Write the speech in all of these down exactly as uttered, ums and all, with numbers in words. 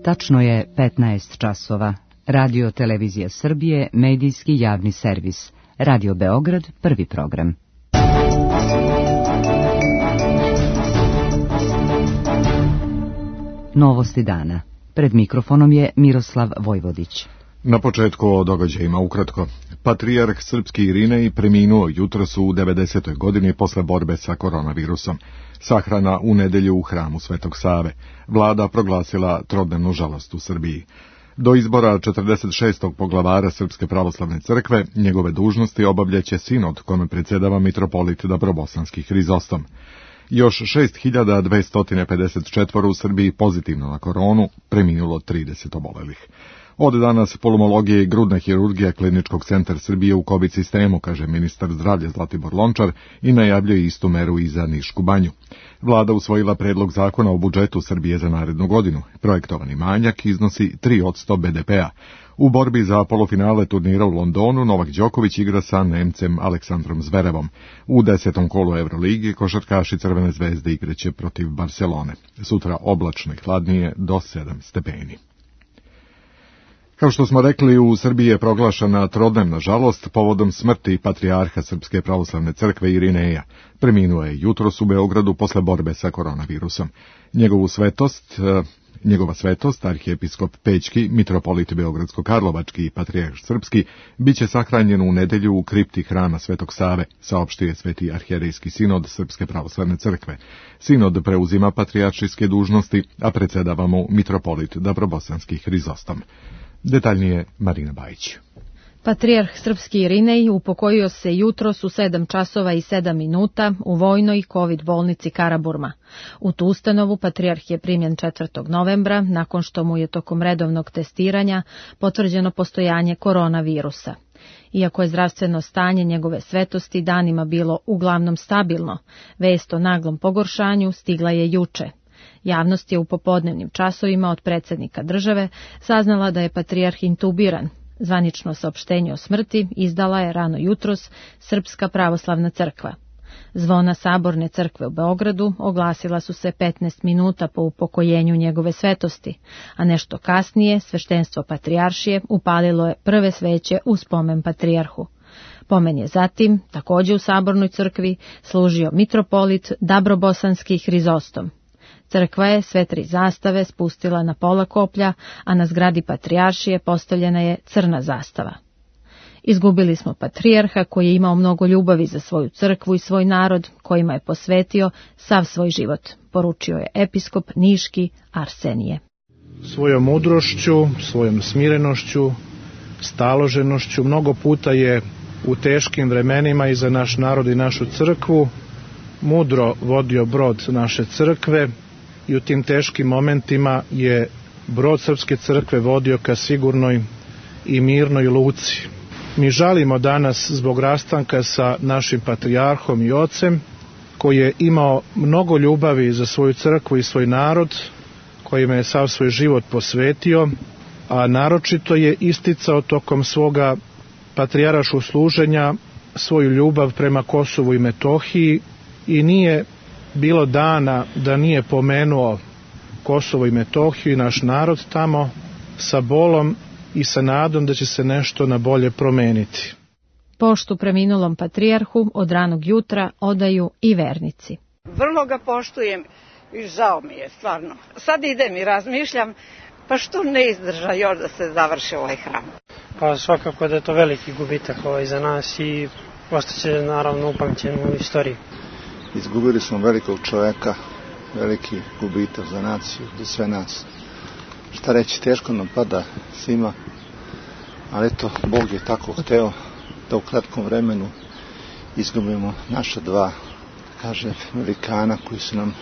Tačno je petnaest časova. Radio Televizija Srbije, medijski javni servis. Radio Beograd, prvi program. Novosti dana. Pred mikrofonom je Miroslav Vojvodić. Na početku o događajima ukratko. Patrijarh srpski Irinej preminuo jutros u devedesetoj godini posle borbe sa koronavirusom. Sahrana u nedelju u hramu Svetog Save. Vlada proglasila trodnevnu žalost u Srbiji. Do izbora četrdeset šestog poglavara Srpske pravoslavne crkve njegove dužnosti obavljaće sinod kome predsjedava mitropolit Dabrobosanski Hrizostom. Još šest hiljada dvesta pedeset četiri u Srbiji pozitivno na koronu, preminulo trideset obolelih. Od danas pulmologija i grudna hirurgija Kliničkog centra Srbije u COVID sistemu, kaže ministar zdravlja Zlatibor Lončar i najavljuje istu meru i za Nišku banju. Vlada usvojila predlog zakona o budžetu Srbije za narednu godinu. Projektovani manjak iznosi tri posto be de pea. U borbi za polufinale turnira u Londonu Novak Đoković igra sa Nemcem Aleksandrom Zverevom. U desetom kolu Euroligi košarkaši Crvene zvezde igraće protiv Barcelone. Sutra oblačno i hladnije do sedam stepeni. Kao što smo rekli, u Srbiji je proglašena trodnevna žalost povodom smrti patrijarha Srpske pravoslavne crkve Irineja. Preminuo je jutros u Beogradu posle borbe sa koronavirusom. Njegovu svetost, njegova svetost, arhijepiskop Pećki, mitropolit Beogradsko-Karlovački i patrijarh srpski, bit će sahranjen u nedelju u kripti hrama Svetog Save, saopštio je Sveti arhijerejski sinod Srpske pravoslavne crkve. Sinod preuzima patrijaršijske dužnosti, a predsjedava mu mitropolit Dabrobosanski Hrizostom. Detaljnije Marina Bajić. Patrijarh srpski Irinej upokojio se jutros u sedam časova i sedam minuta u vojnoj COVID bolnici Karaburma. U tu ustanovu patrijarh je primljen četvrtog novembra, nakon što mu je tokom redovnog testiranja potvrđeno postojanje koronavirusa. Iako je zdravstveno stanje njegove svetosti danima bilo uglavnom stabilno, vest o naglom pogoršanju stigla je juče. Javnost je u popodnevnim časovima od predsjednika države saznala da je patrijarh intubiran. Zvanično saopštenje o smrti izdala je rano jutros Srpska pravoslavna crkva. Zvona Saborne crkve u Beogradu oglasila su se petnaest minuta po upokojenju njegove svetosti, a nešto kasnije sveštenstvo patrijaršije upalilo je prve sveće u spomen patrijarhu. Pomen je zatim, također u Sabornoj crkvi, služio mitropolit Dabrobosanski Hrizostom. Crkva je sve tri zastave spustila na pola koplja, a na zgradi patrijaršije postavljena je crna zastava. Izgubili smo patrijarha koji je imao mnogo ljubavi za svoju crkvu i svoj narod, kojima je posvetio sav svoj život, poručio je episkop Niški Arsenije. Svojom mudrošću, svojom smirenošću, staloženošću mnogo puta je u teškim vremenima i za naš narod i našu crkvu mudro vodio brod naše crkve i u tim teškim momentima je brod Srpske crkve vodio ka sigurnoj i mirnoj luci. Mi žalimo danas zbog rastanka sa našim patrijarhom i ocem, koji je imao mnogo ljubavi za svoju crkvu i svoj narod, kojima je sav svoj život posvetio, a naročito je isticao tokom svoga patrijaraškog služenja svoju ljubav prema Kosovu i Metohiji i nije bilo dana da nije pomenuo Kosovo i Metohiju i naš narod tamo sa bolom i sa nadom da će se nešto na bolje promeniti. Poštu preminulom patrijarhu od ranog jutra odaju i vernici. Vrlo ga poštujem i žao mi je, stvarno. Sad idem i razmišljam, pa što ne izdrža još da se završi ovaj hram? Pa svakako da je to veliki gubitak ovaj za nas i ostaće naravno upamćen u istoriji. Izgubili smo velikog čoveka, veliki gubitak za naciju, za sve nas. Šta reći, teško nam pada svima, ali eto, Bog je tako hteo da u kratkom vremenu izgubimo naša dva, kaže, velikana koji su nam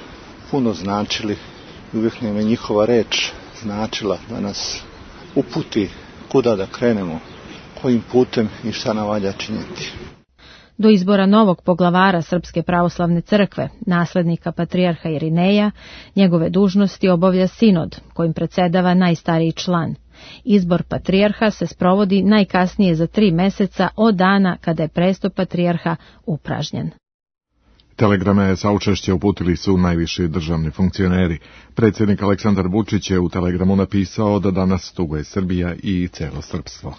puno značili i uvijek nam je njihova reč značila da nas uputi kuda da krenemo, kojim putem i šta nam valja činiti. Do izbora novog poglavara Srpske pravoslavne crkve, naslednika patrijarha Irineja, njegove dužnosti obavlja sinod, kojim predsjedava najstariji član. Izbor patrijarha se sprovodi najkasnije za tri meseca od dana kada je presto patrijarha upražnjen. Telegrame saučešće uputili su najviši državni funkcioneri. Predsjednik Aleksandar Vučić je u telegramu napisao da danas tuguje Srbija i celo srpstvo.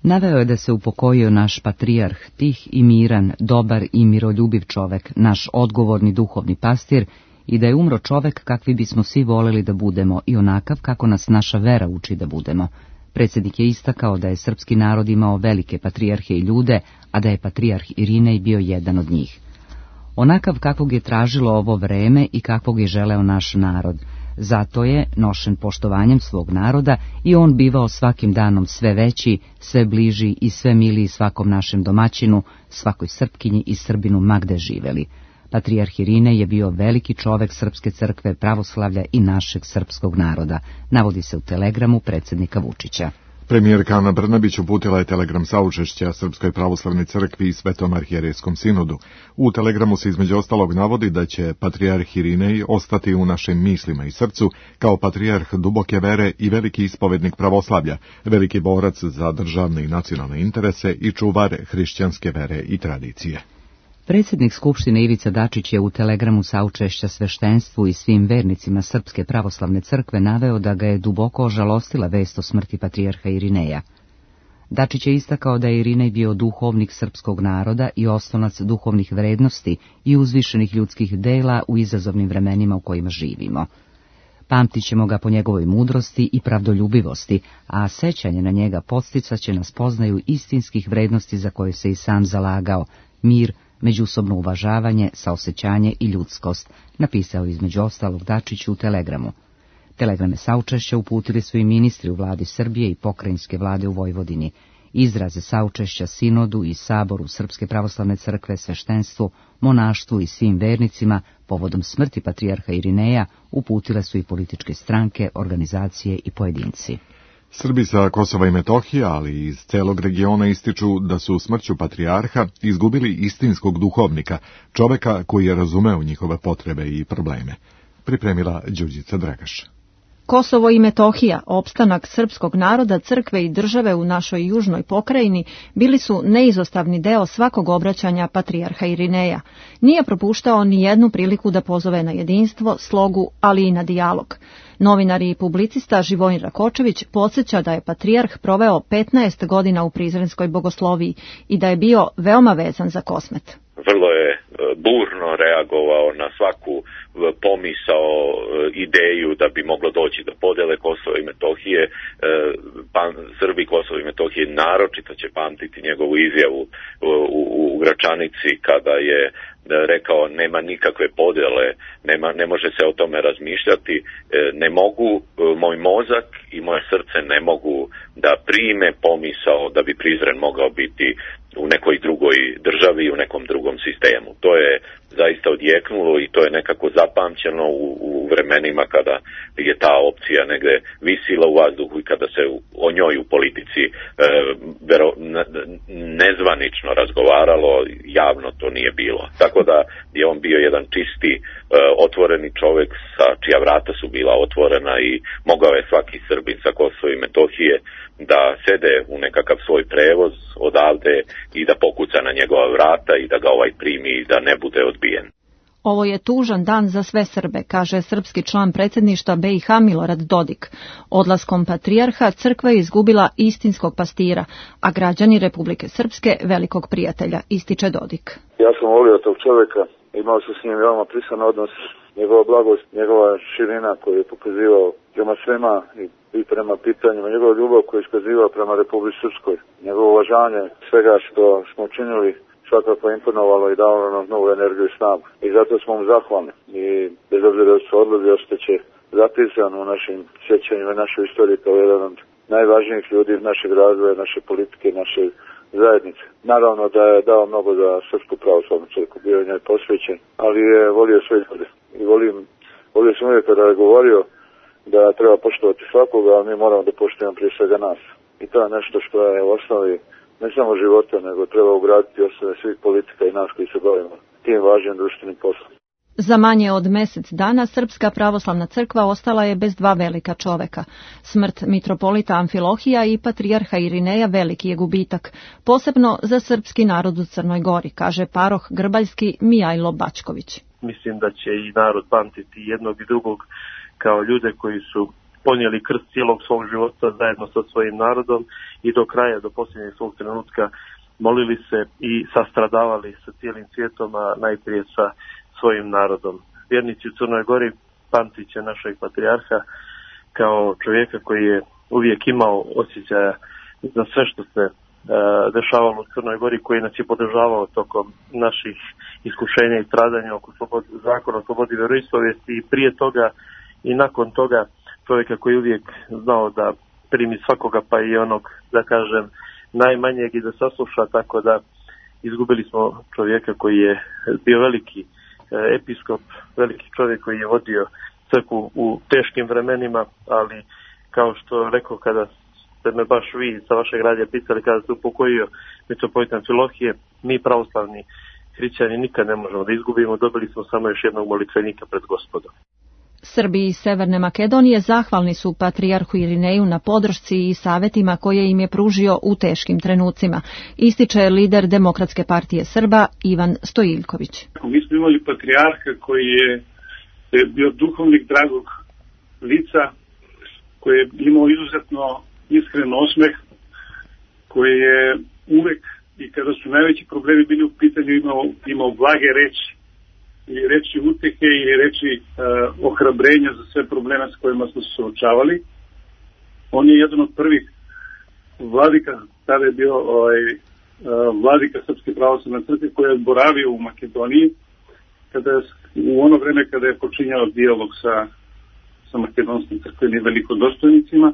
Naveo je da se upokojio naš patrijarh, tih i miran, dobar i miroljubiv čovek, naš odgovorni duhovni pastir, i da je umro čovek kakvi bismo svi voleli da budemo i onakav kako nas naša vera uči da budemo. Predsjednik je istakao da je srpski narod imao velike patrijarhe i ljude, a da je patrijarh Irinej bio jedan od njih. Onakav kakvog je tražilo ovo vreme i kakvog je želeo naš narod. Zato je, nošen poštovanjem svog naroda, i on bivao svakim danom sve veći, sve bliži i sve miliji svakom našem domaćinu, svakoj Srpkinji i Srbinu ma gde živeli. Patrijarh Irinej je bio veliki čovek Srpske crkve, pravoslavlja i našeg srpskog naroda, navodi se u telegramu predsjednika Vučića. Premijerka Ana Brnabić uputila je telegram saučešća Srpskoj pravoslavnoj crkvi i Svetom arhijerejskom sinodu. U telegramu se između ostalog navodi da će patrijarh Irinej ostati u našim mislima i srcu kao patrijarh duboke vere i veliki ispovednik pravoslavlja, veliki borac za državne i nacionalne interese i čuvar hrišćanske vere i tradicije. Predsjednik Skupštine Ivica Dačić je u telegramu saučešća sveštenstvu i svim vernicima Srpske pravoslavne crkve naveo da ga je duboko ožalostila vest o smrti patrijarha Irineja. Dačić je istakao da je Irinej bio duhovnik srpskog naroda i oslonac duhovnih vrednosti i uzvišenih ljudskih dela u izazovnim vremenima u kojima živimo. Pamtit ćemo ga po njegovoj mudrosti i pravdoljubivosti, a sećanje na njega podsticaće nas poznaju istinskih vrednosti za koje se i sam zalagao, mir, međusobno uvažavanje, saosećanje i ljudskost, napisao između ostalog Dačić u telegramu. Telegrame saučešća uputili su i ministri u vladi Srbije i pokrajinske vlade u Vojvodini. Izraze saučešća sinodu i saboru Srpske pravoslavne crkve, sveštenstvu, monaštvu i svim vernicima povodom smrti patrijarha Irineja uputile su i političke stranke, organizacije i pojedinci. Srbi sa Kosova i Metohije, ali i iz celog regiona ističu da su smrću patrijarha izgubili istinskog duhovnika, čoveka koji je razumeo njihove potrebe i probleme. Pripremila Đurđica Dragaš. Kosovo i Metohija, opstanak srpskog naroda, crkve i države u našoj južnoj pokrajini, bili su neizostavni deo svakog obraćanja patrijarha Irineja. Nije propuštao ni jednu priliku da pozove na jedinstvo, slogu, ali i na dijalog. Novinar i publicista Živojin Rakočević podsjeća da je patrijarh proveo petnaest godina u Prizrenskoj bogosloviji i da je bio veoma vezan za Kosmet. Vrlo je burno reagovao na svaku pomisao, ideju da bi moglo doći do podele Kosova i Metohije. Srbi Kosova i Metohije naročito će pamtiti njegovu izjavu u, u Gračanici kada je rekao nema nikakve podele, nema, ne može se o tome razmišljati, ne mogu, moj mozak i moje srce ne mogu da prime pomisao da bi Prizren mogao biti u nekoj drugoj državi, u nekom drugom sistemu. To je zaista odjeknulo i to je nekako zapamćeno u, u vremenima kada je ta opcija negde visila u vazduhu i kada se u, o njoj u politici e, vero, nezvanično razgovaralo, javno to nije bilo. Tako da je on bio jedan čisti, e, otvoreni čovjek sa čija vrata su bila otvorena i mogao je svaki Srbin sa Kosova i Metohije da sede u nekakav svoj prevoz odavde i da pokuca na njegova vrata i da ga ovaj primi i da ne bude odbijen. Ovo je tužan dan za sve Srbe, kaže srpski član predsjedništva B i H Milorad Dodik. Odlaskom patrijarha crkva je izgubila istinskog pastira, a građani Republike Srpske velikog prijatelja, ističe Dodik. Ja sam volio tog čovjeka, imao sam s njim veoma prisan odnos, njegova blagost, njegova širina koju je pokazivao prema svema i i prema pitanjima, njegova ljubav koju je iskazivao prema Republici Srpskoj, njegovo uvažanje svega što smo učinili svakako imponovalo i dalo nam novu energiju i snagu. I zato smo mu zahvalni. I bez obzira da su odlazi, ostaće zapisan u našim sjećanjima i našoj istoriji kao jedan od najvažnijih ljudi našeg razvoja, naše politike, naše zajednice. Naravno da je dao mnogo za Srpsku pravoslavnu crkvu, bio je njoj posvećen, ali je volio sve ljude. I volim, volio sam uvijek kada je govorio da treba poštovati svakoga, a mi moramo da poštujemo prije svega nas. I to je nešto što je u osnovi ne samo života, nego treba ugraditi osnove svih politika i nas koji se bavimo tim važnim društvenim poslom. Za manje od mjesec dana Srpska pravoslavna crkva ostala je bez dva velika čoveka. Smrt mitropolita Amfilohija i patrijarha Irineja veliki je gubitak, posebno za srpski narod u Crnoj Gori, kaže paroh grbaljski Mijajlo Bačković. Mislim da će i narod pamtiti jednog i drugog kao ljude koji su ponijeli krst cijelog svog života zajedno sa svojim narodom i do kraja, do posljednjeg svog trenutka molili se i sastradavali sa cijelim svijetom, a najprije sa svojim narodom. Vjernici u Crnoj Gori pamtit će našeg patrijarha kao čovjeka koji je uvijek imao osjećaja za sve što se e, dešavalo u Crnoj Gori, koji nas je podržavao tokom naših iskušenja i stradanja oko slobod, zakona o slobodi vjeroispovijesti i prije toga i nakon toga čovjeka koji uvijek znao da primi svakoga, pa i onog, da kažem, najmanjeg i da sasluša, tako da izgubili smo čovjeka koji je bio veliki episkop, veliki čovjek koji je vodio crkvu u teškim vremenima, ali kao što rekao kada ste me baš vi sa vašeg radija pitali kada ste upokojio mitropolita Amfilohije, mi pravoslavni hrišćani nikad ne možemo da izgubimo, dobili smo samo još jednog molitvenika pred Gospodom. Srbi iz Severne Makedonije zahvalni su patrijarhu Irineju na podršci i savjetima koje im je pružio u teškim trenucima, ističe lider Demokratske partije Srba Ivan Stojiljković. Mi smo imali patrijarha koji je bio duhovnik dragog lica, koji je imao izuzetno iskren osmeh, koji je uvek i kada su najveći problemi bili u pitanju imao, imao blage reči. I reči utehe i reči uh, ohrabrenja za sve probleme s kojima smo se suočavali. On je jedan od prvih vladika, tada je bio ovaj, uh, vladika Srpske pravoslavne crkve koji je boravio u Makedoniji kada je, u ono vreme kada je počinjao dijalog sa, sa makedonskim crkvenim velikodostojnicima.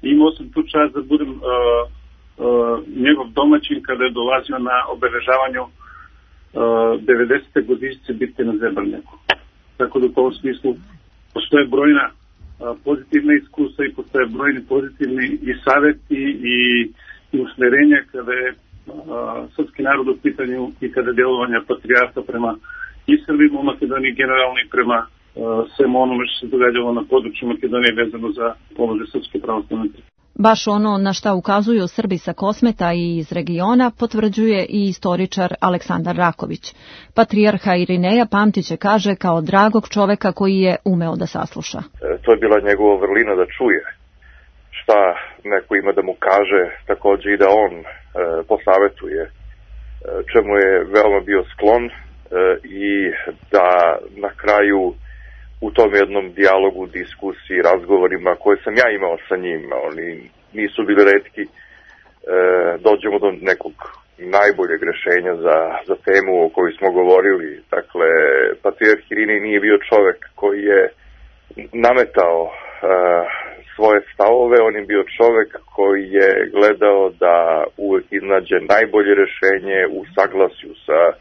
Imao sam tu čast da budem uh, uh, njegov domaćin kada je dolazio na obeležavanju devedesete godišnjice bitke na Zebrnjaku. Tako da u tom smislu postoje brojna a, pozitivna iskustva i postoje brojni pozitivni i savjeti i, i usmjerenja kada je a, srpski narod u pitanju i kada je djelovanja patrijarha prema i Srbima u Makedoniji generalno i prema a, svemu onome što se događalo na području Makedonije vezano za položaj Srpske pravoslavne crkve. Baš ono na šta ukazuju Srbi sa Kosmeta i iz regiona potvrđuje i istoričar Aleksandar Raković. Patrijarha Irineja pamtiće, kaže, kao dragog čoveka koji je umeo da sasluša. E, to je bila njegova vrlina da čuje šta neko ima da mu kaže, također i da on e, posavetuje, e, čemu je veoma bio sklon e, i da na kraju u tom jednom dijalogu, diskusiji, razgovorima koje sam ja imao sa njim, oni nisu bili retki, e, dođemo do nekog najboljeg rješenja za, za temu o kojoj smo govorili. Dakle, patrijarh Irinej nije bio čovjek koji je nametao e, svoje stavove, on je bio čovjek koji je gledao da uvijek iznađe najbolje rješenje u saglasju sa e,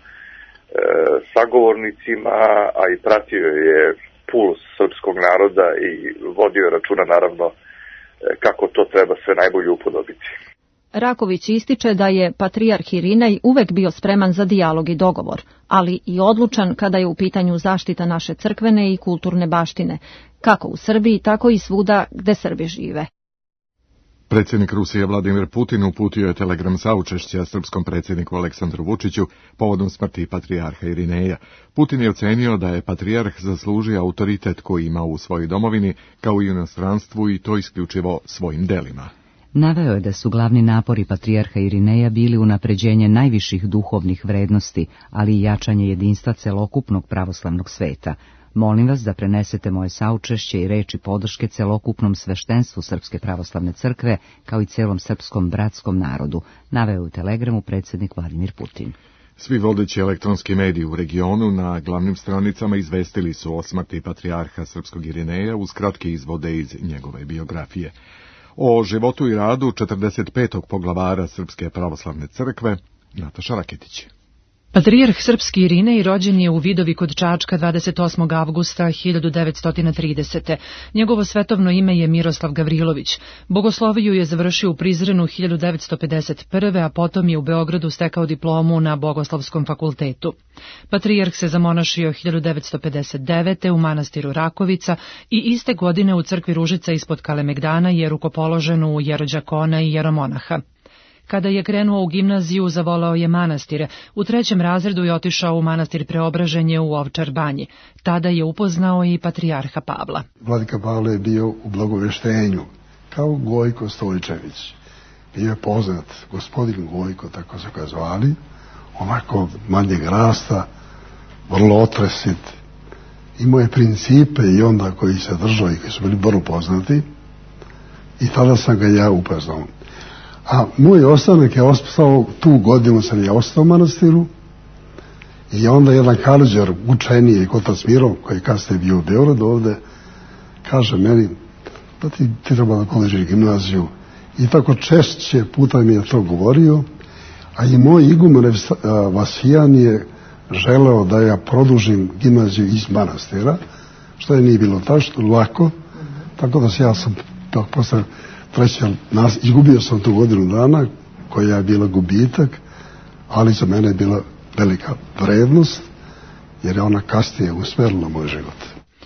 sagovornicima, a i pratio je puls srpskog naroda i vodio računa naravno kako to treba sve najbolje upodobiti. Raković ističe da je patrijarh Irinej uvek bio spreman za dijalog i dogovor, ali i odlučan kada je u pitanju zaštita naše crkvene i kulturne baštine, kako u Srbiji, tako i svuda gde Srbi žive. Predsjednik Rusije Vladimir Putin uputio je telegram saučešća srpskom predsjedniku Aleksandru Vučiću povodom smrti patrijarha Irineja. Putin je ocenio da je patrijarh zaslužio autoritet koji ima u svojoj domovini, kao i u inostranstvu, i to isključivo svojim delima. Naveo je da su glavni napori patrijarha Irineja bili unapređenje najviših duhovnih vrednosti, ali i jačanje jedinstva celokupnog pravoslavnog sveta. Molim vas da prenesete moje saučešće i reči podrške celokupnom sveštenstvu Srpske pravoslavne crkve, kao i celom srpskom bratskom narodu, naveo u telegramu predsjednik Vladimir Putin. Svi vodeći elektronski mediji u regionu na glavnim stranicama izvestili su o smrti patrijarha srpskog Irineja uz kratke izvode iz njegove biografije. O životu i radu četrdeset petog poglavara Srpske pravoslavne crkve Nataša Raketić. Patrijarh srpski Irinej rođen je u Vidovi kod Čačka dvadeset osmog avgusta hiljadu devetsto tridesete. Njegovo svetovno ime je Miroslav Gavrilović. Bogosloviju je završio u Prizrenu hiljadu devetsto pedeset prve. a potom je u Beogradu stekao diplomu na Bogoslovskom fakultetu. Patrijarh se zamonašio hiljadu devetsto pedeset devete. u manastiru Rakovica i iste godine u crkvi Ružica ispod Kalemegdana je rukopoložen u jerođakona i jeromonaha. Kada je krenuo u gimnaziju, zavolao je manastire. U trećem razredu je otišao u manastir Preobraženje u Ovčar Banji. Tada je upoznao i patrijarha Pavla. Vladika Pavle je bio u blagoveštenju, kao Gojko Stojčević. Bio je poznat, gospodin Gojko, tako su ga zvali, onako manjeg rasta, vrlo otresit. Imao je principe i onda koji se držao i koji su bili vrlo poznati. I tada sam ga ja upoznao. A moj ostanak je ostao, tu godinu sam ja ostao u manastiru i onda jedan Karađer, učeniji Kotac Miro, koji je kasnije bio u Beogradu ovde, kaže meni, da ti, ti treba da položiš gimnaziju. I tako češće puta mi je to govorio, a i moj igumen Vasijan je želeo da ja produžim gimnaziju iz manastira, što je nije bilo tačno, lako, tako da se ja sam posle treći, nas, izgubio sam tu godinu dana, koja je bila gubitak, ali za mene je bila velika vrednost, jer je ona kasnije usmerila moj život.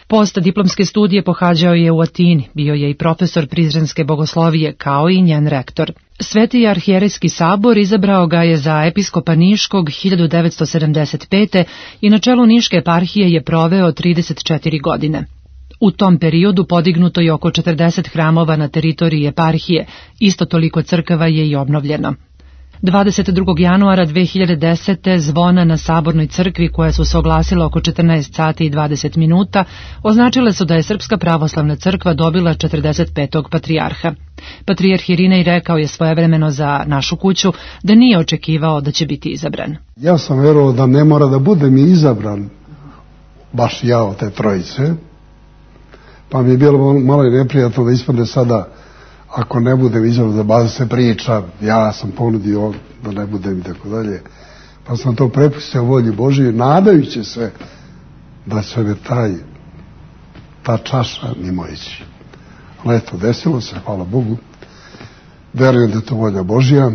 Post diplomske studije pohađao je u Atini, bio je i profesor Prizrenske bogoslovije, kao i njen rektor. Sveti arhijerejski sabor izabrao ga je za episkopa Niškog hiljadu devetsto sedamdeset pete. i na čelu Niške eparhije je proveo trideset četiri godine. U tom periodu podignuto je oko četrdeset hramova na teritoriji eparhije, isto toliko crkava je i obnovljeno. dvadeset drugog januara dve hiljade desete. zvona na Sabornoj crkvi, koja su se oglasila oko četrnaest sati i dvadeset minuta, označile su da je Srpska pravoslavna crkva dobila četrdeset petog patrijarha. Patrijarh Irinej rekao je svojevremeno za Našu kuću da nije očekivao da će biti izabran. Ja sam verovao da ne mora da bude mi izabran baš ja od te trojice, pa mi je bilo malo i neprijatno da ispadne sada, ako ne budem izabran, da baza se priča, ja sam ponudio da ne budem i tako dalje. Pa sam to prepustio volji Božije, nadajući se da će me taj, ta čaša mimo ići. Ali eto, desilo se, hvala Bogu. Verujem da je to volja Božija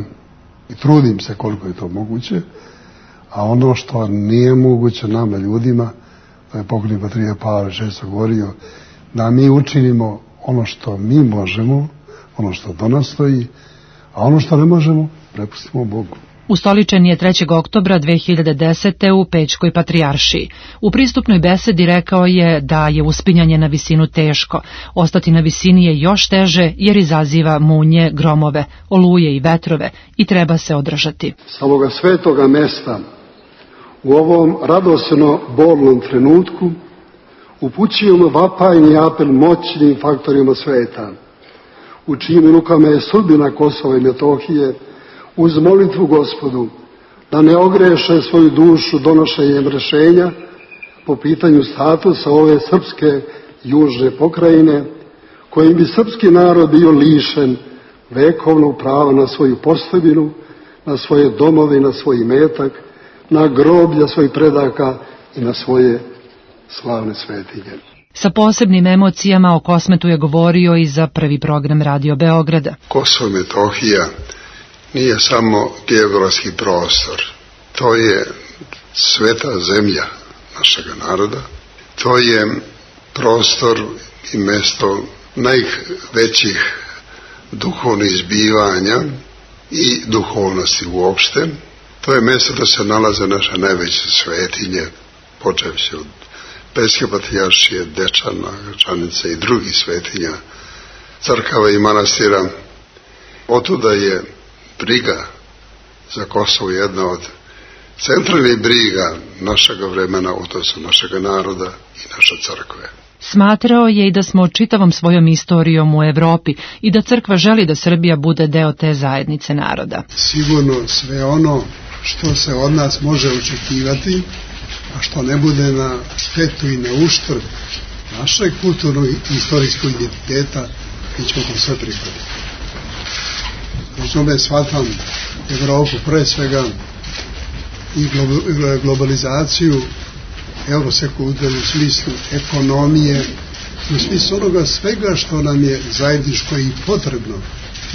i trudim se koliko je to moguće, a ono što nije moguće nama ljudima, da je pokojni patrijarh Pavle šesti govorio, da mi učinimo ono što mi možemo, ono što do nas stoji, a ono što ne možemo, prepustimo Bogu. Ustoličen je trećeg oktobra dve hiljade desete. u Pećkoj patrijaršiji. U pristupnoj besedi rekao je da je uspinjanje na visinu teško. Ostati na visini je još teže jer izaziva munje, gromove, oluje i vetrove i treba se održati. Sa ovoga svetoga mesta, u ovom radosno bolnom trenutku, upućujemo vapajni apel moćnim faktorima sveta, u čijim rukama je sudbina Kosova i Metohije, uz molitvu Gospodu da ne ogreše svoju dušu donošenjem rešenja po pitanju statusa ove srpske južne pokrajine, kojim bi srpski narod bio lišen vekovnog prava na svoju postojbinu, na svoje domove i na svoj imetak, na groblja svojih predaka i na svoje slavne svetinje. Sa posebnim emocijama o Kosmetu je govorio i za prvi program Radio Beograda. Kosovo i Metohija nije samo geografski prostor, to je sveta zemlja našega naroda, to je prostor i mesto najvećih duhovnih zbivanja i duhovnosti uopšte. To je mesto da se nalaze naše najveće svetinje, počevši od Pećke patrijaršije, Dečana, Gračanice i drugih svetinja, crkava i manastira. Otuda je briga za Kosovo jedna od centralnih briga našega vremena, odnosno našega naroda i naše crkve. Smatrao je i da smo čitavom svojom istorijom u Evropi i da crkva želi da Srbija bude deo te zajednice naroda. Sigurno sve ono što se od nas može očekivati, a što ne bude na štetu i na uštrb našeg kulturnog i istorijskog identiteta, mi ćemo to sve prihvatiti. Znači, ome shvatam Evropu pre svega i globalizaciju eurosekulture u smislu ekonomije, u smislu onoga svega što nam je zajedničko i potrebno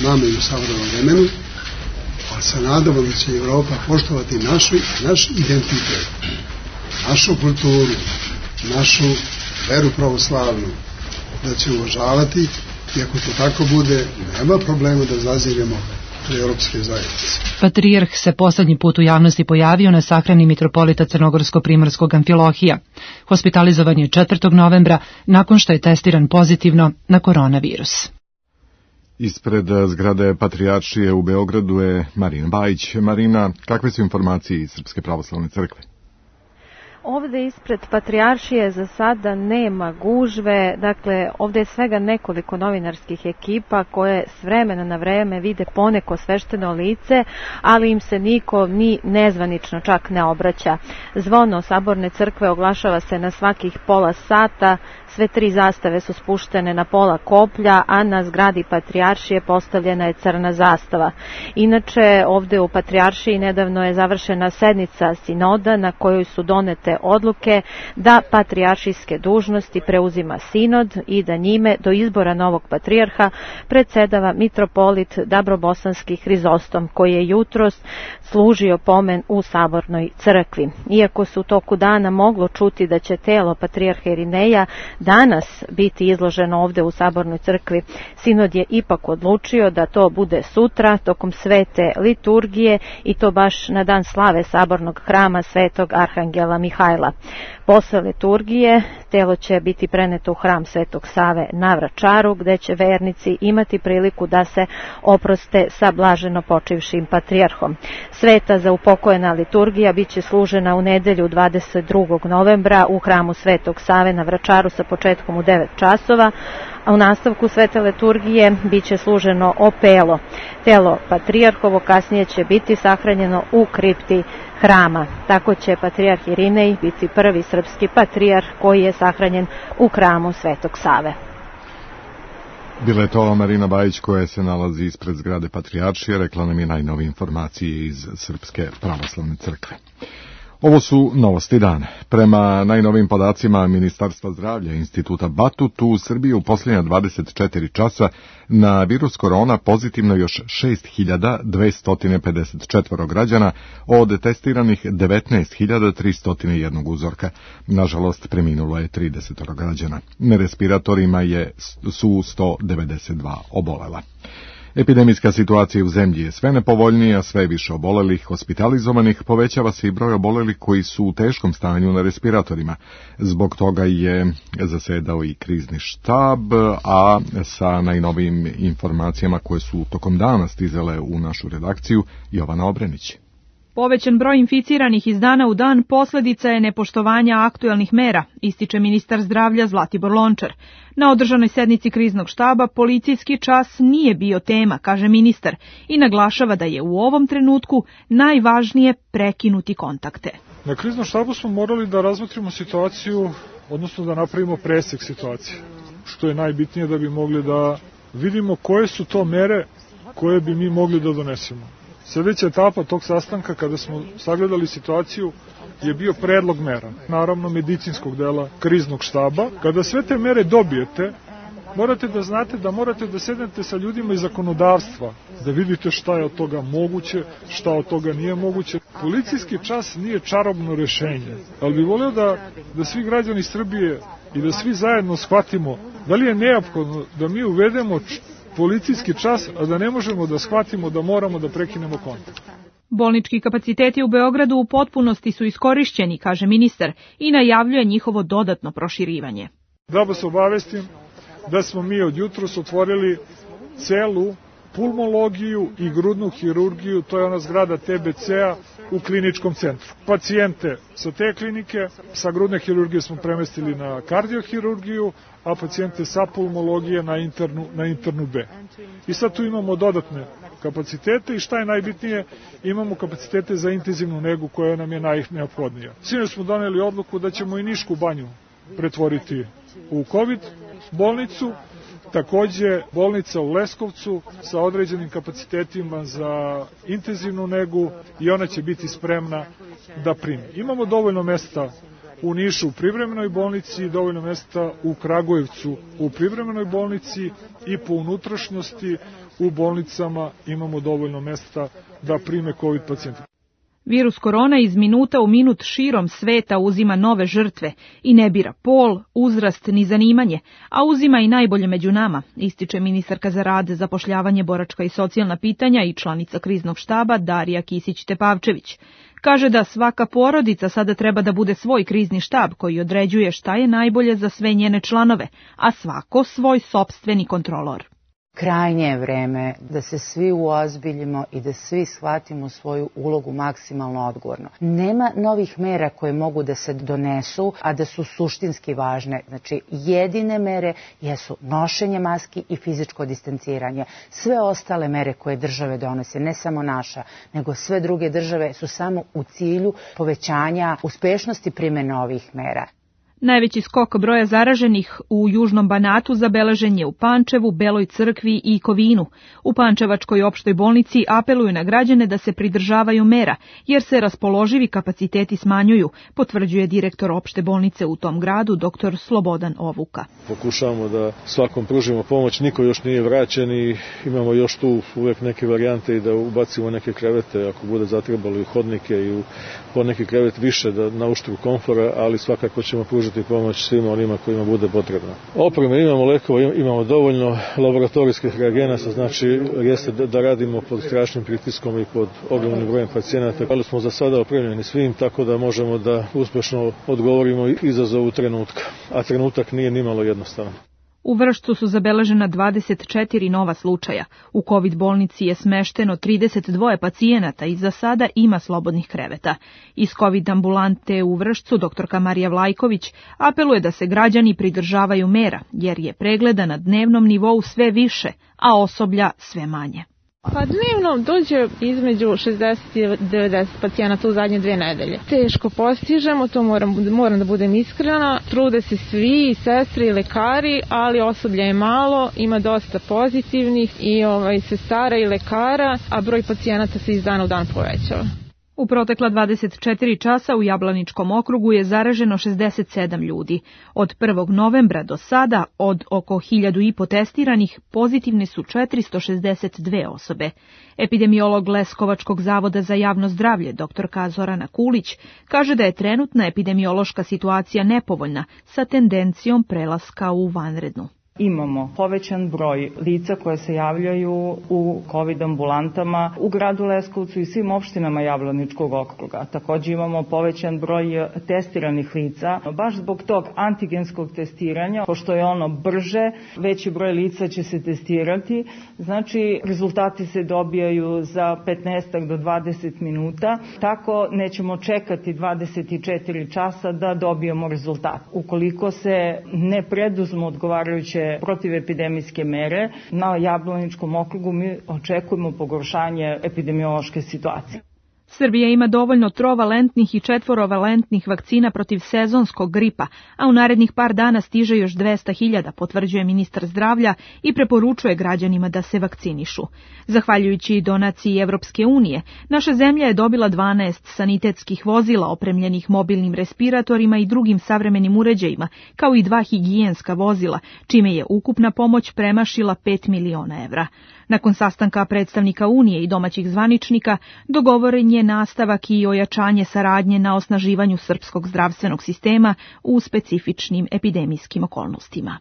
nama i u savremenom vremenu, ali se nadamo da će Evropa poštovati našu, naš identitet, našu kulturu, našu veru pravoslavnu, da će uvažavati i ako to tako bude, nema problema da zaziremo do europske zajednice. Patrijarh se poslednji put u javnosti pojavio na sahrani mitropolita Crnogorsko-Primorskog Amfilohija. Hospitalizovan je četvrtog novembra nakon što je testiran pozitivno na koronavirus. Ispred zgrade Patrijaršije u Beogradu je Marina Bajić. Marina, kakve su informacije iz Srpske pravoslavne crkve? Ovde ispred Patrijaršije za sada nema gužve, dakle ovde je svega nekoliko novinarskih ekipa koje s vremena na vreme vide poneko svešteno lice, ali im se niko ni nezvanično čak ne obraća. Zvono Saborne crkve oglašava se na svakih pola sata, sve tri zastave su spuštene na pola koplja, a na zgradi Patrijaršije postavljena je crna zastava. Inače, ovde u Patrijaršiji nedavno je završena sednica sinoda na kojoj su donete odluke da patrijaršijske dužnosti preuzima sinod i da njime do izbora novog patrijarha predsedava mitropolit Dabrobosanski Hrizostom, koji je jutros služio pomen u Sabornoj crkvi. Iako se u toku dana moglo čuti da će telo patrijarha Irineja danas biti izloženo ovde u Sabornoj crkvi, sinod je ipak odlučio da to bude sutra tokom svete liturgije i to baš na dan slave Sabornog hrama Svetog Arhangela Mihajla. Posle liturgije telo će biti preneto u hram Svetog Save na Vračaru, gde će vernici imati priliku da se oproste sa blaženo počivšim patrijarhom. Sveta za upokojena liturgija biće služena u nedelju dvadeset drugog novembra u hramu Svetog Save na Vračaru sa početkom u devet časova, a u nastavku svete liturgije biće služeno opelo. Telo patrijarhovo kasnije će biti sahranjeno u kripti hrama. Tako će patrijarh Irinej biti prvi srpski patrijarh koji je sahranjen u hramu Svetog Save. Bila je to Marina Bajić koja se nalazi ispred zgrade Patrijaršije, rekla nam je najnovije informacije iz Srpske pravoslavne crkve. Ovo su novosti dana. Prema najnovim podacima Ministarstva zdravlja Instituta Batut, u Srbiji u posljednja dvadeset četiri časa na virus korona pozitivno još šest hiljada dvesta pedeset četiri građana od testiranih devetnaest hiljada tristo jedan uzorka. Nažalost, preminulo je trideset građana. Na respiratorima je, su sto devedeset dva obolela. Epidemijska situacija u zemlji je sve nepovoljnija, sve više obolelih, hospitalizovanih, povećava se i broj obolelih koji su u teškom stanju na respiratorima. Zbog toga je zasedao i krizni štab, a sa najnovijim informacijama koje su tokom dana stizale u našu redakciju, Jovana Obrenić. Povećan broj inficiranih iz dana u dan posljedica je nepoštovanja aktuelnih mera, ističe ministar zdravlja Zlatibor Lončar. Na održanoj sednici kriznog štaba policijski čas nije bio tema, kaže ministar, i naglašava da je u ovom trenutku najvažnije prekinuti kontakte. Na kriznom štabu smo morali da razmotrimo situaciju, odnosno da napravimo presek situacije, što je najbitnije da bi mogli da vidimo koje su to mere koje bi mi mogli da donesemo. Sljedeća etapa tog sastanka, kada smo sagledali situaciju, je bio predlog mera, naravno medicinskog dela kriznog štaba. Kada sve te mere dobijete, morate da znate da morate da sednete sa ljudima iz zakonodavstva, da vidite šta je od toga moguće, šta od toga nije moguće. Policijski čas nije čarobno rešenje, ali bih volio da, da svi građani Srbije i da svi zajedno shvatimo da li je neophodno da mi uvedemo policijski čas, a da ne možemo da shvatimo da moramo da prekinemo kontakt. Bolnički kapaciteti u Beogradu u potpunosti su iskorišćeni, kaže ministar, i najavljuje njihovo dodatno proširivanje. Da vas obavestim da smo mi od jutros otvorili celu pulmologiju i grudnu hirurgiju, to je ona zgrada T B C-a u kliničkom centru. Pacijente sa te klinike, sa grudne hirurgije smo premestili na kardiohirurgiju, a pacijente sa pulmologije na internu, na internu B. I sad tu imamo dodatne kapacitete i šta je najbitnije, imamo kapacitete za intenzivnu negu koja nam je najneophodnija. Sinoć smo doneli odluku da ćemo i Nišku banju pretvoriti u COVID bolnicu Takođe, bolnica u Leskovcu sa određenim kapacitetima za intenzivnu negu i ona će biti spremna da primi. Imamo dovoljno mesta u Nišu u privremenoj bolnici, dovoljno mesta u Kragujevcu u privremenoj bolnici i po unutrašnjosti u bolnicama imamo dovoljno mesta da prime COVID pacijente. Virus korona iz minuta u minut širom sveta uzima nove žrtve i ne bira pol, uzrast ni zanimanje, a uzima i najbolje među nama, ističe ministarka za rad, zapošljavanje, boračka i socijalna pitanja i članica kriznog štaba Darija Kisić-Tepavčević. Kaže da svaka porodica sada treba da bude svoj krizni štab koji određuje šta je najbolje za sve njene članove, a svako svoj sopstveni kontrolor. Krajnje je vreme da se svi uozbiljimo i da svi shvatimo svoju ulogu maksimalno odgovorno. Nema novih mera koje mogu da se donesu, a da su suštinski važne. Znači, jedine mere jesu nošenje maski i fizičko distanciranje. Sve ostale mere koje države donose, ne samo naša, nego sve druge države su samo u cilju povećanja uspešnosti primjene ovih mera. Najveći skok broja zaraženih u Južnom Banatu zabeležen je u Pančevu, Beloj Crkvi i Kovinu. U Pančevačkoj opštoj bolnici apeluju na građane da se pridržavaju mera, jer se raspoloživi kapaciteti smanjuju, potvrđuje direktor opšte bolnice u tom gradu, doktor Slobodan Ovuka. Pokušavamo da svakom pružimo pomoć, niko još nije vraćen i imamo još tu uvek neke varijante i da ubacimo neke krevete, ako bude zatrebalo i hodnike i u poneki krevet više da na uštru komfora, ali svakako ćemo pružiti pomoć svima onima kojima bude potrebno. Opreme imamo, lekova imamo dovoljno, laboratorijskih reagenasa, znači jeste da radimo pod strašnim pritiskom i pod ogromnim brojem pacijenata, ali smo za sada opremljeni svim, tako da možemo da uspešno odgovorimo izazovu trenutka, a trenutak nije nimalo jednostavan. U Vršcu su zabeležena dvadeset četiri nova slučaja. U COVID bolnici je smešteno trideset dva pacijenata i za sada ima slobodnih kreveta. Iz COVID ambulante u Vršcu doktorka Marija Vlajković apeluje da se građani pridržavaju mera, jer je pregleda na dnevnom nivou sve više, a osoblja sve manje. Pa dnevno dođe između šezdeset i devedeset pacijenata u zadnje dve nedelje. Teško postižemo, to moram, moram da budem iskrena. Trude se svi, i sestre i lekari, ali osoblja je malo, ima dosta pozitivnih i ovaj, sestara i lekara, a broj pacijenata se iz dana u dan povećava. U protekla dvadeset četiri časa u Jablaničkom okrugu je zaraženo šezdeset sedam ljudi. Od prvog novembra do sada, od oko hiljadu i po testiranih, pozitivne su četiristo šezdeset dve osobe. Epidemiolog Leskovačkog zavoda za javno zdravlje, doktorka Zorana Kulić, kaže da je trenutna epidemiološka situacija nepovoljna, sa tendencijom prelaska u vanrednu. Imamo povećan broj lica koje se javljaju u COVID ambulantama u gradu Leskovcu i svim opštinama Jablaničkog okruga. Također imamo povećan broj testiranih lica. Baš zbog tog antigenskog testiranja, pošto je ono brže, veći broj lica će se testirati. Znači, rezultati se dobijaju za petnaest do dvadeset minuta. Tako nećemo čekati dvadeset četiri časa da dobijemo rezultat. Ukoliko se ne preduzmu odgovarajuće protivepidemijske mere, na Jablaničkom okrugu mi očekujemo pogoršanje epidemiološke situacije. Srbija ima dovoljno trovalentnih i četvorovalentnih vakcina protiv sezonskog gripa, a u narednih par dana stiže još dvesta hiljada, potvrđuje ministar zdravlja i preporučuje građanima da se vakcinišu. Zahvaljujući donaciji Evropske unije, naša zemlja je dobila dvanaest sanitetskih vozila opremljenih mobilnim respiratorima i drugim savremenim uređajima, kao i dva higijenska vozila, čime je ukupna pomoć premašila pet miliona evra. Nakon sastanka predstavnika Unije i domaćih zvaničnika, dogovoren je nastavak i ojačanje saradnje na osnaživanju srpskog zdravstvenog sistema u specifičnim epidemijskim okolnostima.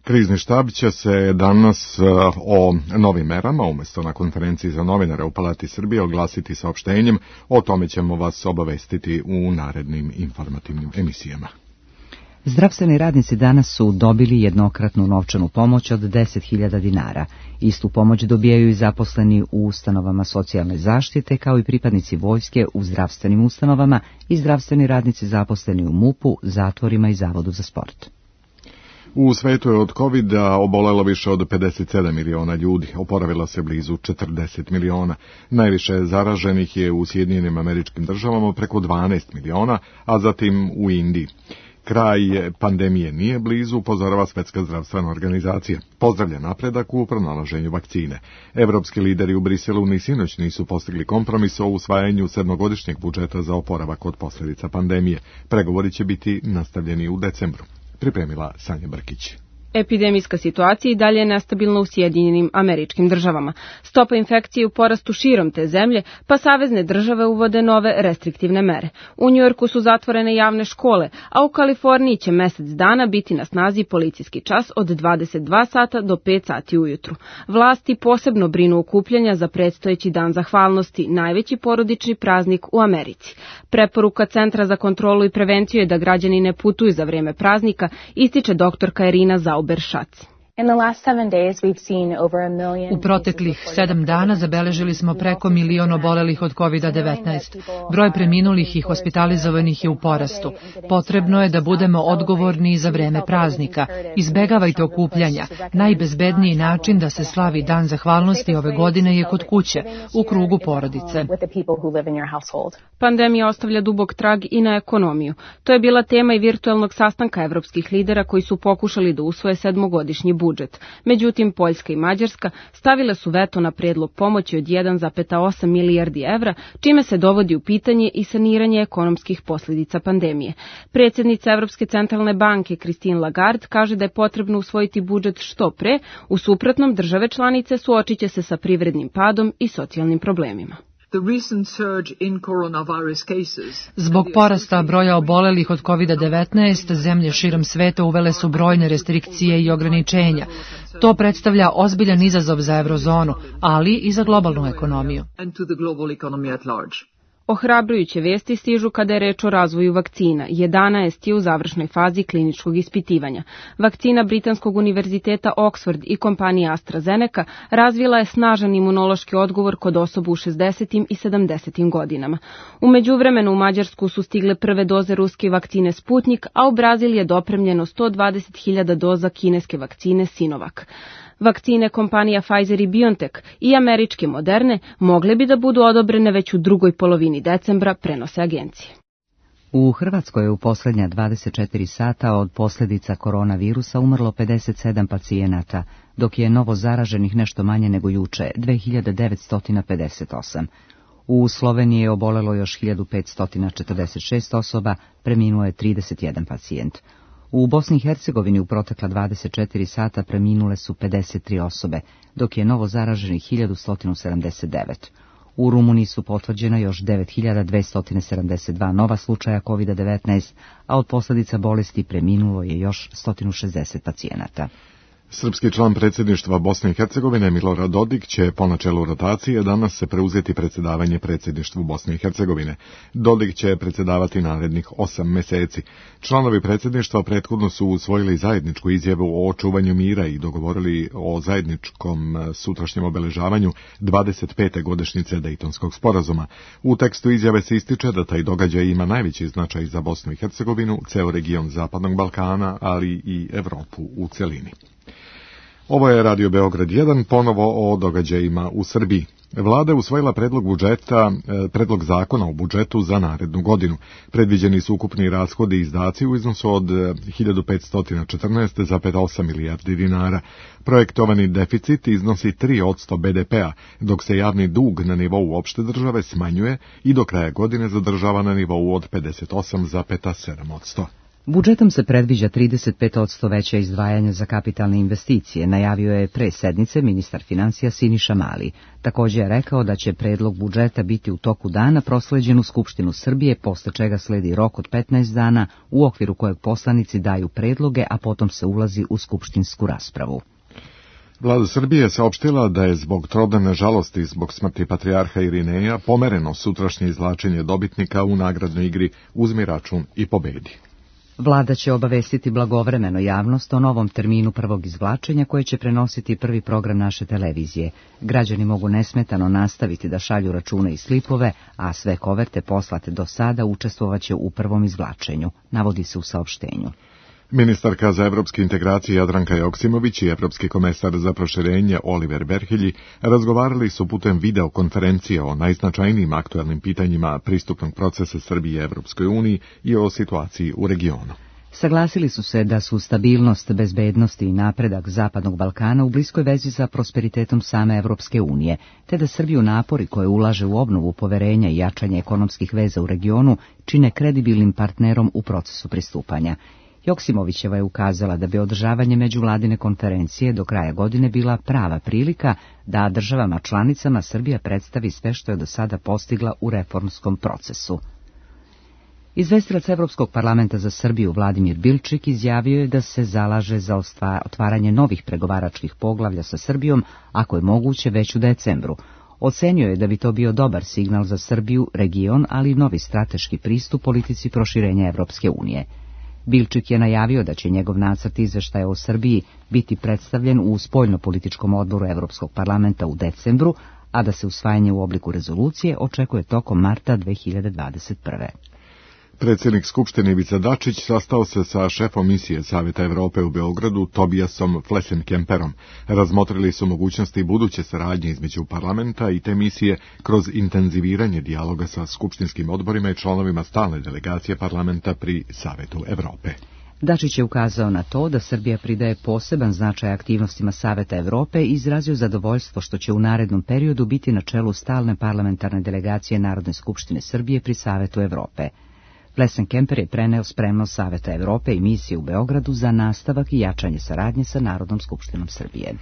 Krizni štab će se danas o novim merama, umjesto na konferenciji za novinare u Palati Srbije, oglasiti saopštenjem. O tome ćemo vas obavestiti u narednim informativnim emisijama. Zdravstveni radnici danas su dobili jednokratnu novčanu pomoć od deset hiljada dinara. Istu pomoć dobijaju i zaposleni u ustanovama socijalne zaštite, kao i pripadnici vojske u zdravstvenim ustanovama i zdravstveni radnici zaposleni u MUP-u, zatvorima i Zavodu za sport. U svetu je od kovida obolelo više od pedeset sedam miliona ljudi, oporavila se blizu četrdeset miliona. Najviše zaraženih je u Sjedinjenim Američkim Državama preko dvanaest miliona, a zatim u Indiji. Kraj pandemije nije blizu, upozorava Svetska zdravstvena organizacija. Pozdravlja napredak u pronalaženju vakcine. Evropski lideri u Briselu ni sinoć nisu postigli kompromis o usvajanju sedmogodišnjeg budžeta za oporavak od posljedica pandemije. Pregovori će biti nastavljeni u decembru. Pripremila Sanja Brkić. Epidemijska situacija i dalje je nestabilna u Sjedinjenim Američkim Državama. Stopa infekcije u porastu širom te zemlje, pa savezne države uvode nove restriktivne mere. U Njujorku su zatvorene javne škole, a u Kaliforniji će mesec dana biti na snazi policijski čas od dvadeset dva sata do pet sati ujutru. Vlasti posebno brinu okupljanja za predstojeći dan zahvalnosti, najveći porodični praznik u Americi. Preporuka Centra za kontrolu i prevenciju je da građani ne putuju za vrijeme praznika, ističe doktorka Irina Zauber. U proteklih sedam dana zabeležili smo preko milion obolelih od kovid devetnaest. Broj preminulih i hospitalizovanih je u porastu. Potrebno je da budemo odgovorni za vreme praznika. Izbegavajte okupljanja. Najbezbedniji način da se slavi dan zahvalnosti ove godine je kod kuće, u krugu porodice. Pandemija ostavlja dubok trag i na ekonomiju. To je bila tema i virtualnog sastanka evropskih lidera koji su pokušali da usvoje sedmogodišnji budžet. Međutim, Poljska i Mađarska stavile su veto na predlog pomoći od jedan zarez osam milijardi evra, čime se dovodi u pitanje i saniranje ekonomskih posljedica pandemije. Predsjednica Evropske centralne banke Christine Lagarde kaže da je potrebno usvojiti budžet što pre, u suprotnom države članice suočiće se sa privrednim padom i socijalnim problemima. Zbog porasta broja obolelih od kovid devetnaest, zemlje širom sveta uvele su brojne restrikcije i ograničenja. To predstavlja ozbiljan izazov za eurozonu, ali i za globalnu ekonomiju. Ohrabrujuće vesti stižu kada je reč o razvoju vakcina. jedanaest je u završnoj fazi kliničkog ispitivanja. Vakcina Britanskog univerziteta Oxford i kompanija AstraZeneca razvila je snažan imunološki odgovor kod osoba u šezdesetim i sedamdesetim godinama. U međuvremenu u Mađarsku su stigle prve doze ruske vakcine Sputnik, a u Brazil je dopremljeno sto dvadeset hiljada doza kineske vakcine Sinovac. Vakcine kompanija Pfizer i BioNTech i američke Moderne mogle bi da budu odobrene već u drugoj polovini decembra, prenose agencije. U Hrvatskoj je u posljednja dvadeset četiri sata od posljedica koronavirusa umrlo pedeset sedam pacijenata, dok je novo zaraženih nešto manje nego juče, dve hiljade devetsto pedeset osam. U Sloveniji je obolelo još hiljadu petsto četrdeset šest osoba, preminuo je trideset jedan pacijent. U Bosni i Hercegovini u protekla dvadeset četiri sata preminule su pedeset tri osobe, dok je novo zaraženih hiljadu sto sedamdeset devet. U Rumuniji su potvrđena još devet hiljada dvesta sedamdeset dva nova slučaja kovid devetnaest, a od posljedica bolesti preminulo je još sto šezdeset pacijenata. Srpski član predsjedništva Bosne i Hercegovine Milorad Dodik će po načelu rotacije danas se preuzeti predsjedavanje predsjedništvu Bosne i Hercegovine. Dodik će predsjedavati narednih osam mjeseci. Članovi predsjedništva prethodno su usvojili zajedničku izjavu o očuvanju mira i dogovorili o zajedničkom sutrašnjem obeležavanju dvadeset pete godišnjice Dejtonskog sporazuma. U tekstu izjave se ističe da taj događaj ima najveći značaj za Bosnu i Hercegovinu, ceo region Zapadnog Balkana, ali i Evropu u celini. Ovo je Radio Beograd jedan, ponovo o događajima u Srbiji. Vlada je usvojila predlog budžeta, predlog zakona o budžetu za narednu godinu. Predviđeni su ukupni rashodi i izdaci u iznosu od hiljadu petsto četrnaest zarez osam milijardi dinara. Projektovani deficit iznosi tri posto be de pea, dok se javni dug na nivou opšte države smanjuje i do kraja godine zadržava na nivou od pedeset osam zarez sedam posto. Budžetom se predviđa trideset pet posto veća izdvajanja za kapitalne investicije, najavio je pre sednice ministar financija Siniša Mali. Također je rekao da će predlog budžeta biti u toku dana prosleđen u Skupštinu Srbije, posle čega sledi rok od petnaest dana, u okviru kojeg poslanici daju predloge, a potom se ulazi u skupštinsku raspravu. Vlada Srbije je saopštila da je zbog trodane žalosti zbog smrti patrijarha Irineja pomereno sutrašnje izvlačenje dobitnika u nagradnoj igri Uzmi račun i pobedi. Vlada će obavestiti blagovremeno javnost o novom terminu prvog izvlačenja koje će prenositi prvi program naše televizije. Građani mogu nesmetano nastaviti da šalju račune i slipove, a sve koverte poslate do sada učestvovaće u prvom izvlačenju, navodi se u saopštenju. Ministarka za evropske integracije Jadranka Joksimović i evropski komesar za proširenje Oliver Verhelji razgovarali su putem videokonferencije o najznačajnijim aktuelnim pitanjima pristupnog procesa Srbije Evropskoj uniji i o situaciji u regionu. Saglasili su se da su stabilnost, bezbednost i napredak Zapadnog Balkana u bliskoj vezi sa prosperitetom same Evropske unije, te da Srbiju napori koje ulaže u obnovu poverenja i jačanje ekonomskih veza u regionu čine kredibilnim partnerom u procesu pristupanja. Joksimovićeva je ukazala da bi održavanje međuvladine konferencije do kraja godine bila prava prilika da državama članicama Srbija predstavi sve što je do sada postigla u reformskom procesu. Izvestilac Evropskog parlamenta za Srbiju Vladimir Bilčik izjavio je da se zalaže za otvaranje novih pregovaračkih poglavlja sa Srbijom, ako je moguće već u decembru. Ocenio je da bi to bio dobar signal za Srbiju, region, ali i novi strateški pristup politici proširenja Evropske unije. Bilčik je najavio da će njegov nacrt izveštaja o Srbiji biti predstavljen u spoljnopolitičkom odboru Evropskog parlamenta u decembru, a da se usvajanje u obliku rezolucije očekuje tokom marta dve hiljade dvadeset prve. Predsjednik Skupštine Ivica Dačić sastao se sa šefom misije Saveta Evrope u Beogradu Tobiasom Flesenkemperom. Razmotrili su mogućnosti buduće saradnje između parlamenta i te misije kroz intenziviranje dijaloga sa skupštinskim odborima i članovima stalne delegacije parlamenta pri Savetu Evrope. Dačić je ukazao na to da Srbija pridaje poseban značaj aktivnostima Saveta Evrope i izrazio zadovoljstvo što će u narednom periodu biti na čelu stalne parlamentarne delegacije Narodne skupštine Srbije pri Savetu Evrope. Flesenkemper je preneo spremnost Saveta Evrope i misije u Beogradu za nastavak i jačanje saradnje sa Narodnom skupštinom Srbije.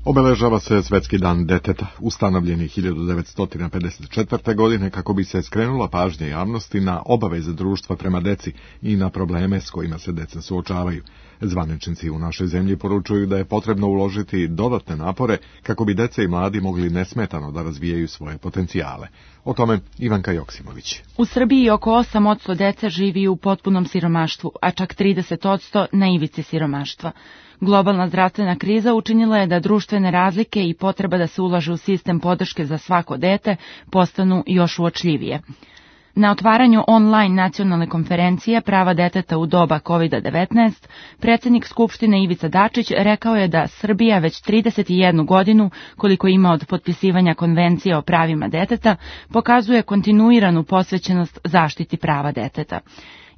Obeležava se Svetski dan deteta, ustanovljeni hiljadu devetsto pedeset četvrte. godine kako bi se skrenula pažnja javnosti na obaveze društva prema deci i na probleme s kojima se deca suočavaju. Zvaničnici u našoj zemlji poručuju da je potrebno uložiti dodatne napore kako bi deca i mladi mogli nesmetano da razvijaju svoje potencijale. O tome Ivanka Joksimović. U Srbiji oko osam posto dece živi u potpunom siromaštvu, a čak trideset posto na ivici siromaštva. Globalna zdravstvena kriza učinila je da društvene razlike i potreba da se ulaže u sistem podrške za svako dete postanu još uočljivije. Na otvaranju online nacionalne konferencije Prava deteta u doba kovid devetnaest, predsjednik Skupštine Ivica Dačić rekao je da Srbija već trideset jednu godinu, koliko ima od potpisivanja konvencije o pravima deteta, pokazuje kontinuiranu posvećenost zaštiti prava deteta.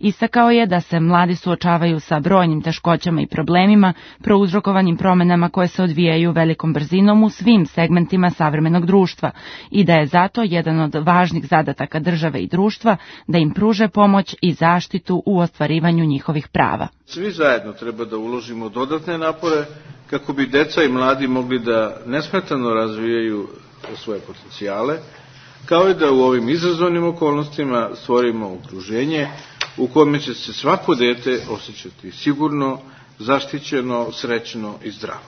Istakao je da se mladi suočavaju sa brojnim teškoćama i problemima prouzrokovanim promenama koje se odvijaju velikom brzinom u svim segmentima savremenog društva i da je zato jedan od važnih zadataka države i društva da im pruže pomoć i zaštitu u ostvarivanju njihovih prava. Svi zajedno treba da uložimo dodatne napore kako bi deca i mladi mogli da nesmetano razvijaju svoje potencijale, kao i da u ovim izazovnim okolnostima stvorimo okruženje u kome će se svako dete osjećati sigurno, zaštićeno, srećno i zdravo.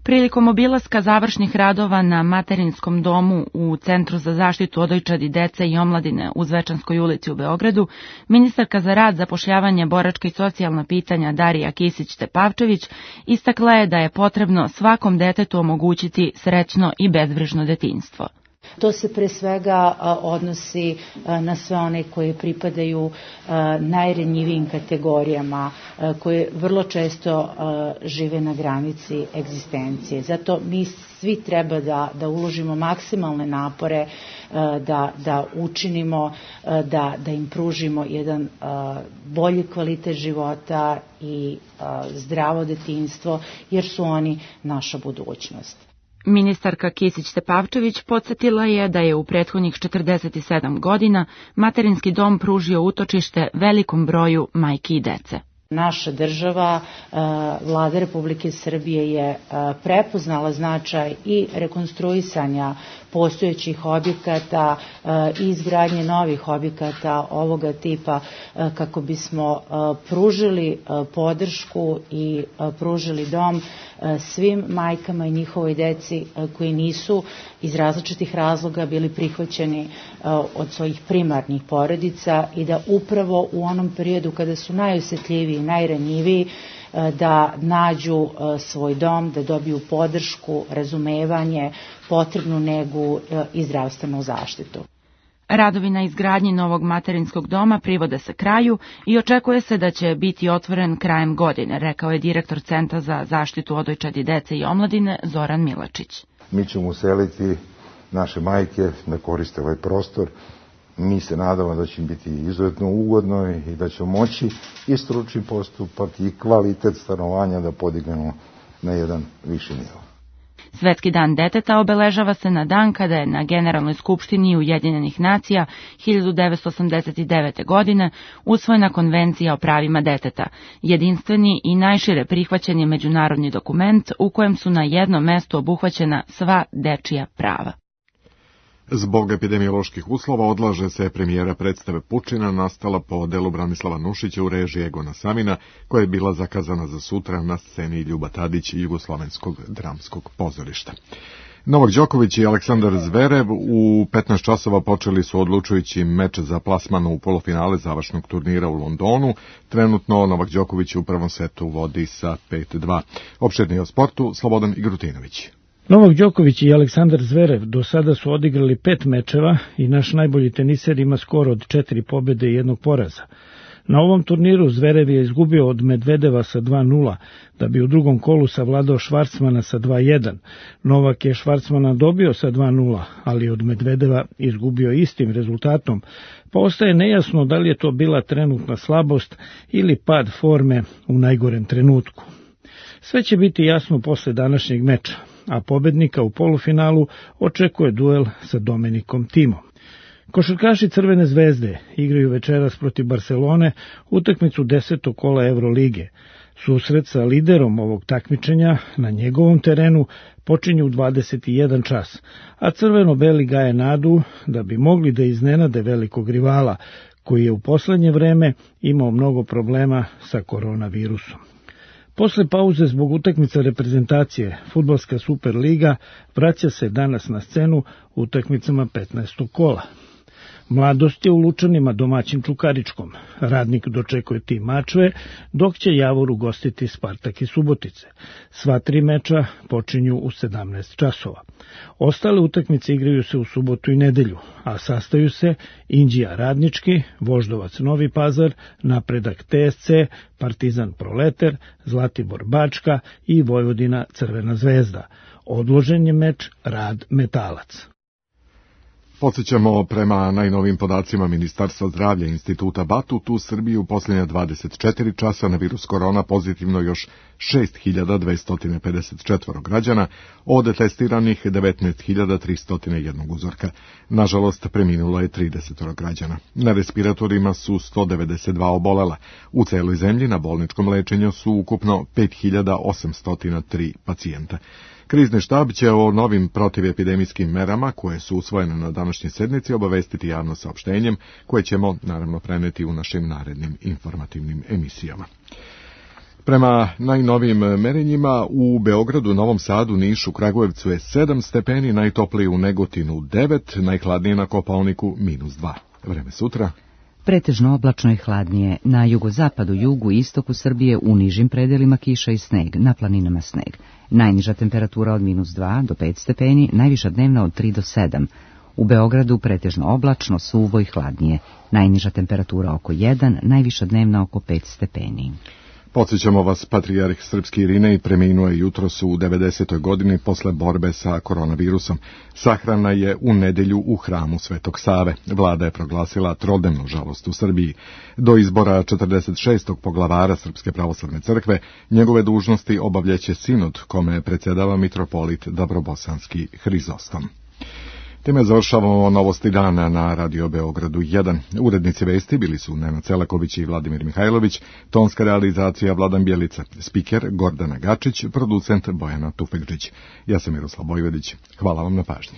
Prilikom obilaska završnih radova na Materinskom domu u Centru za zaštitu odojčadi dece i omladine u Zvečanskoj ulici u Beogradu, ministarka za rad, zapošljavanje, boračka i socijalna pitanja Darija Kisić-Tepavčević istakla je da je potrebno svakom detetu omogućiti srećno i bezbrižno detinjstvo. To se pre svega odnosi na sve one koji pripadaju najranjivijim kategorijama, koje vrlo često žive na granici egzistencije. Zato mi svi treba da, da uložimo maksimalne napore, da, da učinimo, da, da im pružimo jedan bolji kvalitet života i zdravo detinjstvo, jer su oni naša budućnost. Ministarka Kisić-Tepavčević podsjetila je da je u prethodnih četrdeset sedam godina Materinski dom pružio utočište velikom broju majki i dece. Naša država, Vlada Republike Srbije je prepoznala značaj i rekonstruisanja postojećih objekata i izgradnje novih objekata ovoga tipa kako bismo pružili podršku i pružili dom svim majkama i njihovoj deci koji nisu iz različitih razloga bili prihvaćeni od svojih primarnih porodica i da upravo u onom periodu kada su najosjetljiviji i najranjiviji da nađu svoj dom, da dobiju podršku, razumevanje, potrebnu negu i zdravstvenu zaštitu. Radovi na izgradnji novog materinskog doma privode se kraju i očekuje se da će biti otvoren krajem godine, rekao je direktor Centra za zaštitu odojčadi dece i omladine Zoran Milačić. Mi ćemo useliti naše majke da koriste ovaj prostor Mi se nadamo da će im biti izuzetno ugodno i da će moći i stručni postupak i kvalitet stanovanja da podignemo na jedan viši nivo. Svetski dan deteta obeležava se na dan kada je na Generalnoj skupštini Ujedinjenih nacija hiljadu devetsto osamdeset devete. godine usvojena Konvencija o pravima deteta, jedinstveni i najšire prihvaćen je međunarodni dokument u kojem su na jednom mestu obuhvaćena sva dečija prava. Zbog epidemioloških uslova odlaže se premijera predstave Pučina nastala po delu Branislava Nušića u režiji Egona Samina, koja je bila zakazana za sutra na sceni Ljuba Tadić i Jugoslovenskog dramskog pozorišta. Novak Đoković i Aleksandar Zverev u petnaest časova počeli su odlučujući meč za plasman u polufinale završnog turnira u Londonu. Trenutno Novak Đoković u prvom setu vodi sa pet dva. Opširnije o sportu Slobodan Igrutinović. Novak Đoković i Aleksandar Zverev do sada su odigrali pet mečeva i naš najbolji teniser ima skor od četiri pobjede i jednog poraza. Na ovom turniru Zverev je izgubio od Medvedeva sa dva nula, da bi u drugom kolu savladao Švarcmana sa dva jedan. Novak je Švarcmana dobio sa dva nula, ali od Medvedeva izgubio istim rezultatom, pa ostaje nejasno da li je to bila trenutna slabost ili pad forme u najgorem trenutku. Sve će biti jasno posle današnjeg meča, a pobednika u polufinalu očekuje duel sa Domenikom Timom. Košarkaši Crvene zvezde igraju večeras protiv Barcelone utakmicu desetog kola Evrolige. Susret sa liderom ovog takmičenja na njegovom terenu počinje u dvadeset jedan čas, a crveno-beli gaje nadu da bi mogli da iznenade velikog rivala, koji je u poslednje vreme imao mnogo problema sa koronavirusom. Posle pauze zbog utakmica reprezentacije, Fudbalska Superliga vraća se danas na scenu utakmicama petnaestog kola. Mladost je u Lučanima domaćin Čukaričkom. Radnik dočekuje Tim Mačve, dok će Javor ugostiti Spartak i Subotice. Sva tri meča počinju u sedamnaest časova. Ostale utakmice igraju se u subotu i nedelju, a sastaju se Inđija Radnički, Voždovac Novi Pazar, Napredak T S C, Partizan Proleter, Zlatibor Bačka i Vojvodina Crvena zvezda. Odložen je meč Rad Metalac. Podsjećamo, prema najnovim podacima Ministarstva zdravlja i Instituta Batut, u Srbiji u posljednja dvadeset četiri časa na virus korona pozitivno još šest hiljada dvesta pedeset četiri građana, od testiranih devetnaest hiljada tristo jedan uzorka. Nažalost, preminulo je trideset građana. Na respiratorima su sto devedeset dva obolela. U celoj zemlji na bolničkom lečenju su ukupno pet hiljada osamsto tri pacijenta. Krizni štab će o novim protivepidemijskim merama, koje su usvojene na današnjoj sednici, obavestiti javno saopštenjem, koje ćemo naravno preneti u našim narednim informativnim emisijama. Prema najnovijim merenjima u Beogradu, Novom Sadu, Nišu, Kragujevcu je sedam stepeni, najtopliji u Negotinu devet, najhladnije na Kopaoniku minus dva. Vreme sutra. Pretežno oblačno i hladnije. Na jugozapadu, jugu i istoku Srbije u nižim predelima kiša i sneg, na planinama sneg. Najniža temperatura od minus dva do pet stepeni, najviša dnevna od tri do sedam. U Beogradu pretežno oblačno, suvo i hladnije. Najniža temperatura oko jedan, najviša dnevna oko pet stepeni. Podsjećamo vas, patrijarh srpski Irinej preminuo je jutros u devedesetoj godini posle borbe sa koronavirusom. Sahrana je u nedelju u hramu Svetog Save. Vlada je proglasila trodnevnu žalost u Srbiji. Do izbora četrdeset šestog poglavara Srpske pravoslavne crkve njegove dužnosti obavljaće sinod, kome predsjedava mitropolit Dabrobosanski Hrizostom. Time završavamo novosti dana na Radio Beogradu jedan. Urednici vesti bili su Nenad Celaković i Vladimir Mihajlović, tonska realizacija Vladan Bjelica, spiker Gordana Gačić, producent Bojana Tufekžić. Ja sam Miroslav Bojvedić. Hvala vam na pažnji.